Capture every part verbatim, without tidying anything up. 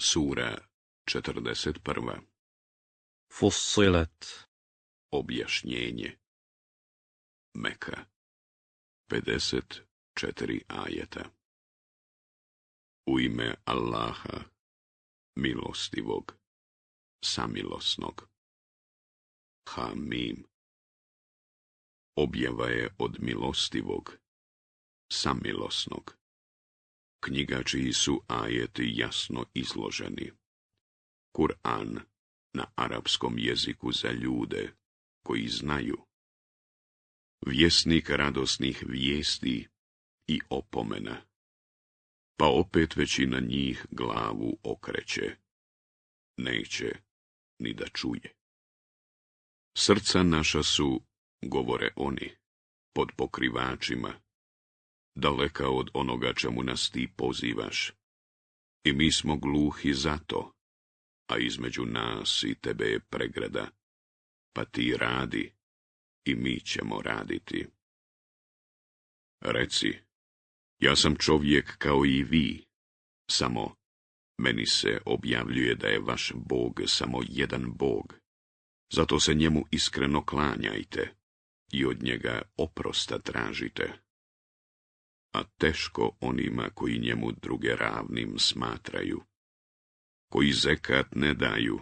Sura četrdeset prva. Fussilet. Objašnjenje. Meka. pedeset četiri ajeta. U ime Allaha, milostivog, samilosnog. Hamim. Objava je od milostivog, samilosnog. Knjiga čiji su ajeti jasno izloženi. Kur'an na arapskom jeziku za ljude koji znaju. Vjesnik radosnih vijesti i opomena. Pa opet većina njih glavu okreće. Neće ni da čuje. Srca naša su, govore oni, pod pokrivačima, daleka od onoga čemu nas ti pozivaš. I mi smo gluhi za to, a između nas i tebe je pregrada, pa ti radi i mi ćemo raditi. Reci, ja sam čovjek kao i vi, samo meni se objavljuje da je vaš Bog samo jedan Bog, zato se njemu iskreno klanjajte i od njega oprosta tražite. A teško onima koji njemu druge ravnim smatraju, koji zekat ne daju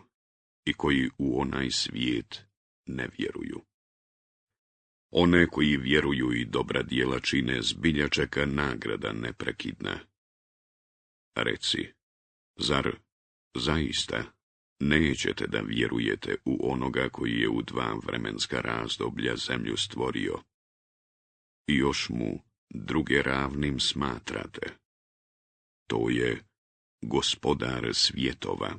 i koji u onaj svijet ne vjeruju. One koji vjeruju i dobra djela čine, zbilja čeka nagrada neprekidna. Reci, zar zaista nećete da vjerujete u onoga koji je u dva vremenska razdoblja zemlju stvorio i još mu druge ravnim smatrate? To je gospodar svjetova.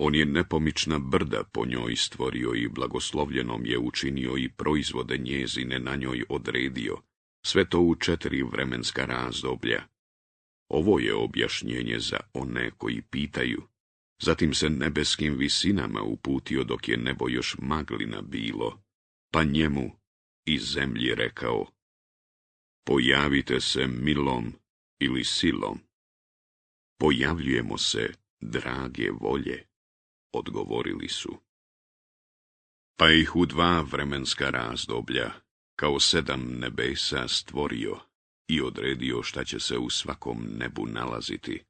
On je nepomična brda po njoj stvorio i blagoslovljenom je učinio i proizvode njezine na njoj odredio, sve to u četiri vremenska razdoblja. Ovo je objašnjenje za one koji pitaju. Zatim se nebeskim visinama uputio dok je nebo još maglina bilo, pa njemu i zemlji rekao: pojavite se milom ili silom. Pojavljujemo se drage volje, odgovorili su. Pa ih u dva vremenska razdoblja, kao sedam nebesa, stvorio i odredio šta će se u svakom nebu nalaziti.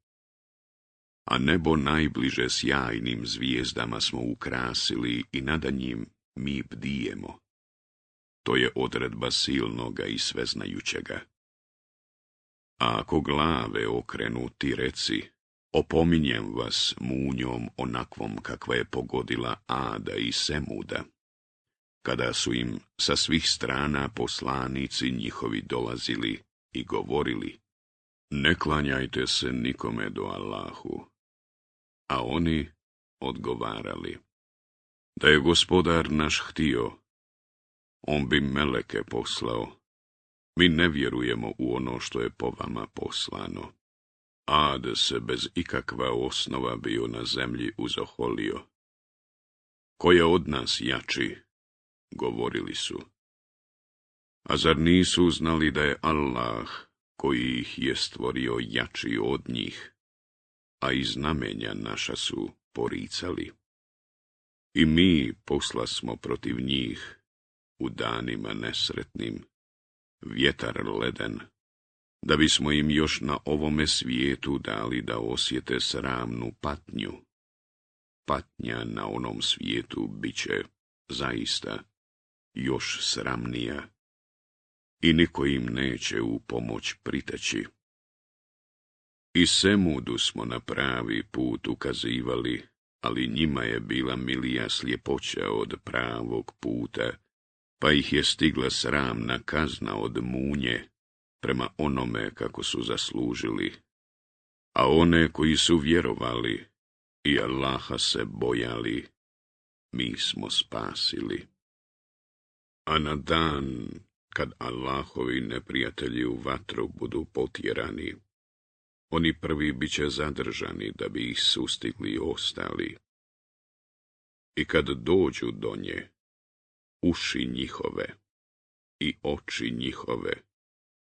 A nebo najbliže sjajnim zvijezdama smo ukrasili i nada njim mi bdijemo. To je odredba silnoga i sveznajućega. A ako glave okrenu, ti reci, opominjem vas munjom onakvom kakva je pogodila Ada i Semuda, kada su im sa svih strana poslanici njihovi dolazili i govorili: ne klanjajte se nikome do Allahu. A oni odgovarali: da je gospodar naš htio, on bi meleke poslao. Mi ne vjerujemo u ono što je po vama poslano. Ad se bez ikakva osnova bio na zemlji uzoholio. Ko je od nas jači? Govorili su. A zar nisu znali da je Allah, koji ih je stvorio, jači od njih, a i znamenja naša su poricali? I mi posla smo protiv njih u danima nesretnim, vjetar leden, da bismo im još na ovome svijetu dali da osjete sramnu patnju. Patnja na onom svijetu biće zaista još sramnija i niko im neće u pomoć priteći. I Semudu smo na pravi put ukazivali, ali njima je bila milija sljepoća od pravog puta, pa ih je stigla sramna kazna od munje, prema onome kako su zaslužili. A one koji su vjerovali i Allaha se bojali, mi smo spasili. A na dan kad Allahovi neprijatelji u vatru budu potjerani, oni prvi bit će zadržani da bi ih sustigli ostali. I kad dođu do nje, uši njihove i oči njihove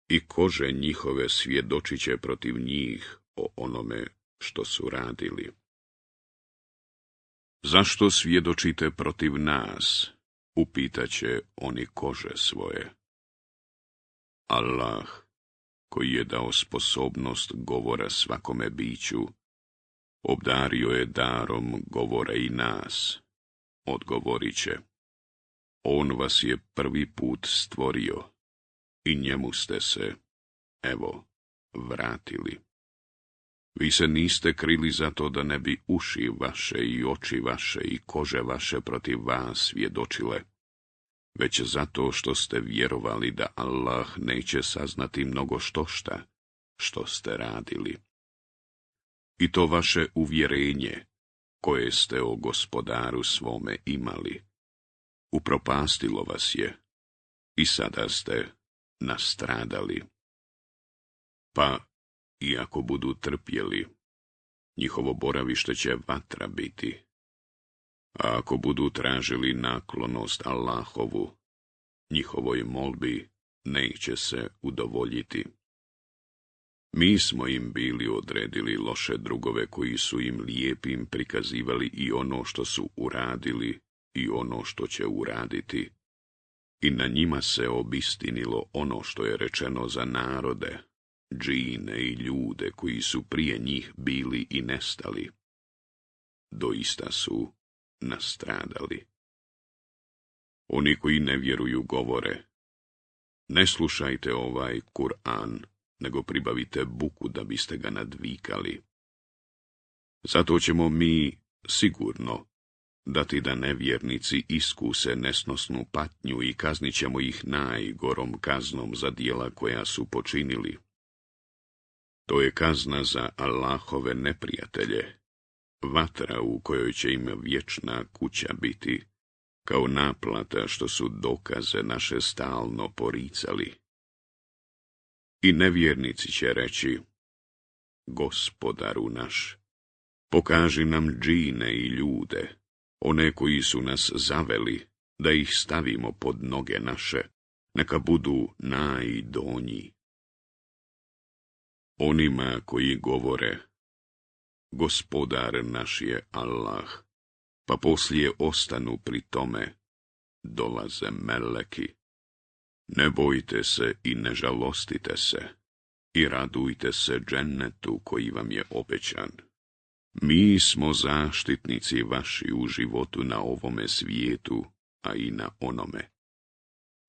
i kože njihove svjedočit će protiv njih o onome što su radili. Zašto svjedočite protiv nas? Upitaće oni kože svoje. Allah, koji je dao sposobnost govora svakome biću, obdario je darom govora i nas. Odgovorit će, on vas je prvi put stvorio i njemu ste se, evo, vratili. Vi se niste krili zato da ne bi uši vaše i oči vaše i kože vaše protiv vas svjedočile, već zato što ste vjerovali da Allah neće saznati mnogo štošta što ste radili. I to vaše uvjerenje, koje ste o gospodaru svome imali, upropastilo vas je i sada ste nastradali. Pa, iako budu trpjeli, njihovo boravište će vatra biti. A ako budu tražili naklonost Allahovu, njihovoj molbi neće se udovoljiti. Mi smo im bili odredili loše drugove koji su im lijepim prikazivali i ono što su uradili i ono što će uraditi. I na njima se obistinilo ono što je rečeno za narode, džine i ljude koji su prije njih bili i nestali. Doista su nastradali. Oni koji ne vjeruju govore, ne slušajte ovaj Kur'an, nego pribavite buku da biste ga nadvikali. Zato ćemo mi sigurno dati da nevjernici iskuse nesnosnu patnju i kaznit ćemo ih najgorom kaznom za djela koja su počinili. To je kazna za Allahove neprijatelje, vatra u kojoj će im vječna kuća biti, kao naplata što su dokaze naše stalno poricali. I nevjernici će reći, Gospodaru naš, pokaži nam džine i ljude, one koji su nas zaveli, da ih stavimo pod noge naše, neka budu najdonji. Onima koji govore, Gospodar naš je Allah, pa poslije ostanu pri tome, dolaze meleki. Ne bojte se i ne žalostite se, i radujte se džennetu koji vam je obećan. Mi smo zaštitnici vaši u životu na ovome svijetu, a i na onome.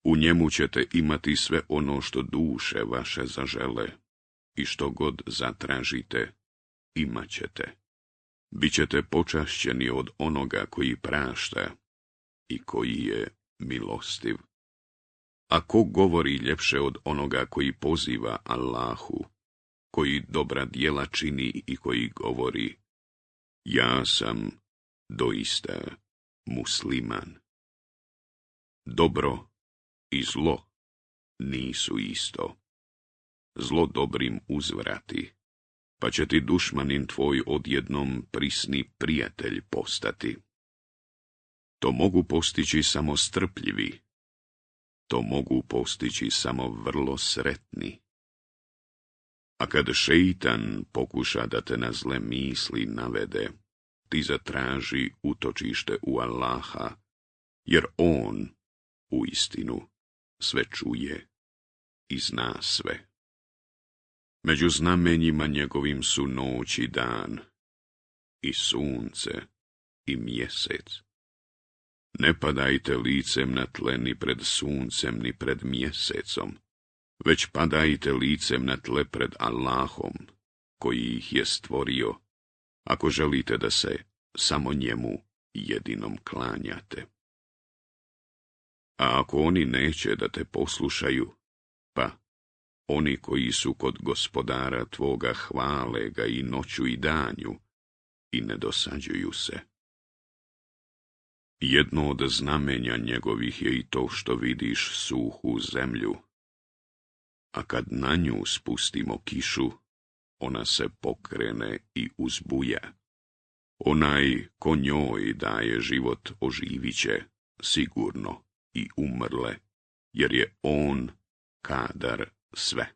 U njemu ćete imati sve ono što duše vaše zažele, i što god zatražite, imat ćete. Bićete počašćeni od onoga koji prašta i koji je milostiv. A ko govori ljepše od onoga koji poziva Allahu, koji dobra djela čini i koji govori, ja sam doista musliman. Dobro i zlo nisu isto. Zlo dobrim uzvrati, pa će ti dušmanin tvoj odjednom prisni prijatelj postati. To mogu postići samo strpljivi, to mogu postići samo vrlo sretni. A kad šeitan pokuša da te na zle misli navede, ti zatraži utočište u Allaha, jer on, uistinu, sve čuje i zna sve. Među znamenjima njegovim su noć i dan, i sunce, i mjesec. Ne padajte licem na tle ni pred suncem, ni pred mjesecom, već padajte licem na tle pred Allahom, koji ih je stvorio, ako želite da se samo njemu jedinom klanjate. A ako oni neće da te poslušaju, pa oni koji su kod gospodara tvoga hvale ga i noću i danju i ne dosađuju se. Jedno od znamenja njegovih je i to što vidiš suhu zemlju, a kad na nju spustimo kišu, ona se pokrene i uzbuja. Onaj ko njoj daje život oživit će sigurno i umrle, jer je on kadar sve.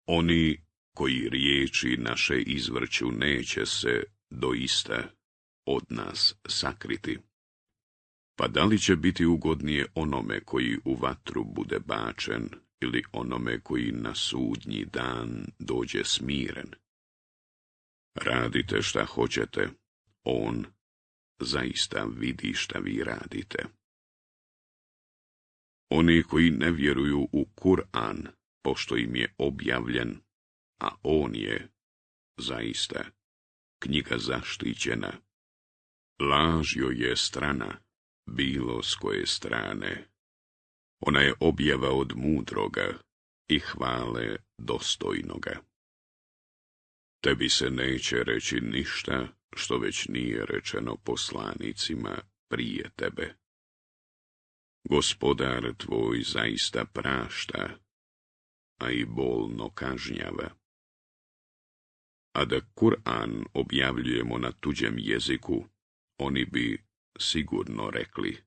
Oni koji riječi naše izvrću, neće se doista od nas sakriti. Pa da li će biti ugodnije onome koji u vatru bude bačen, ili onome koji na sudnji dan dođe smiren? Radite šta hoćete, on zaista vidi šta vi radite. Oni koji ne vjeruju u Kur'an, pošto im je objavljen, a on je, zaista, knjiga zaštićena. Laž joj je strana, bilo s koje strane. Ona je objava od mudroga i hvale dostojnoga. Tebi se neće reći ništa što već nije rečeno poslanicima prije tebe. Gospodar tvoj zaista prašta, a i bolno kažnjava. A da Kur'an objavljujemo na tuđem jeziku, oni bi sigurno rekli: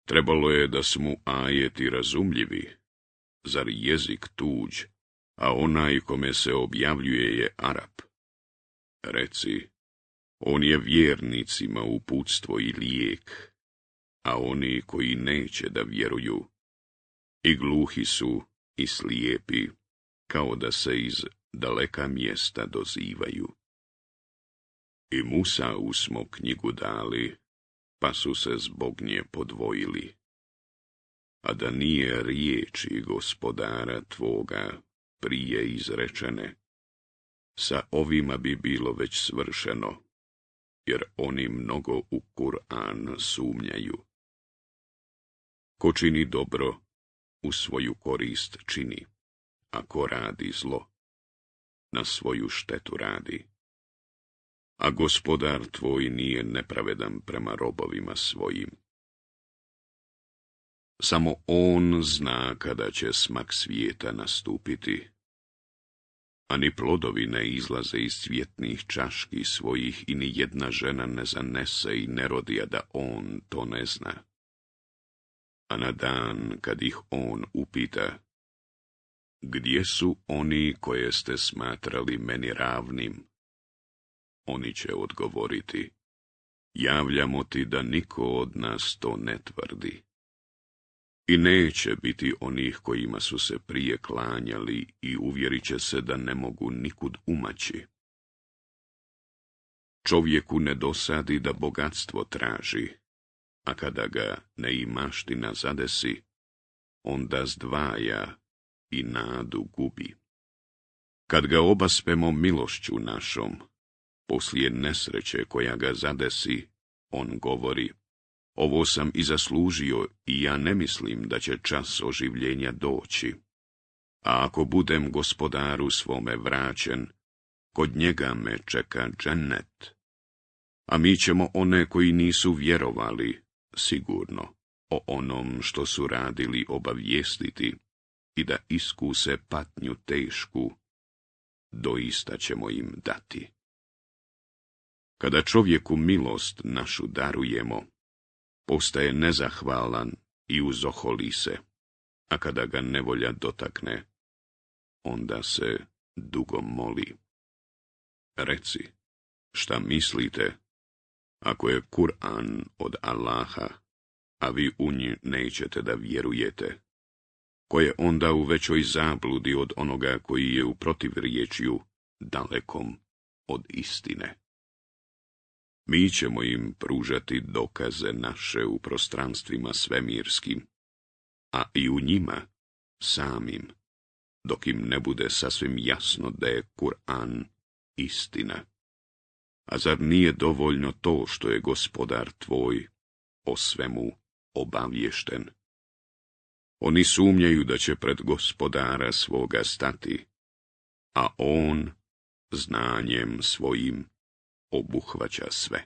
trebalo je da su mu ajeti razumljivi, zar jezik tuđ, a onaj kome se objavljuje je Arap. Reci, on je vjernicima uputstvo i lijek, a oni koji neće da vjeruju, i gluhi su i slijepi, kao da se iz daleka mjesta dozivaju. I Musau smo knjigu dali, pa su se zbog nje podvojili. A da nije riječi Gospodara tvoga prije izrečene, sa ovima bi bilo već svršeno, jer oni mnogo u Kur'an sumnjaju. Ko čini dobro, u svoju korist čini, a ko radi zlo, na svoju štetu radi. A Gospodar tvoj nije nepravedan prema robovima svojim. Samo on zna kada će smak svijeta nastupiti, a ni plodovi ne izlaze iz cvjetnih čaški svojih i ni jedna žena ne zanese i ne rodi, a da on to ne zna. A na dan kad ih on upita: gdje su oni koje ste smatrali meni ravnim? Oni će odgovoriti: javljamo ti da niko od nas to ne tvrdi. I neće biti onih kojima su se prije klanjali i uvjerit će se da ne mogu nikud umaći. Čovjeku ne dosadi da bogatstvo traži, a kada ga neimaština zadesi, onda zdvaja i nadu gubi. Kad ga obaspemo milošću našom, poslije nesreće koja ga zadesi, on govori: ovo sam i zaslužio i ja ne mislim da će čas oživljenja doći. A ako budem Gospodaru svome vraćen, kod njega me čeka džennet. A mi ćemo one koji nisu vjerovali, sigurno, o onom što su radili obavijestiti i da iskuse patnju tešku, doista ćemo im dati. Kada čovjeku milost našu darujemo, postaje nezahvalan i uzoholi se, a kada ga nevolja dotakne, onda se dugo moli. Reci, šta mislite, ako je Kur'an od Allaha, a vi u nji nećete da vjerujete, ko je onda u većoj zabludi od onoga koji je u protivriječju dalekom od istine? Mi ćemo im pružati dokaze naše u prostranstvima svemirskim, a i u njima samim, dok im ne bude sasvim jasno da je Kur'an istina. A zar nije dovoljno to što je Gospodar tvoj o svemu obaviješten? Oni sumnjaju da će pred Gospodara svoga stati, a on znanjem svojim obuhvaća sve.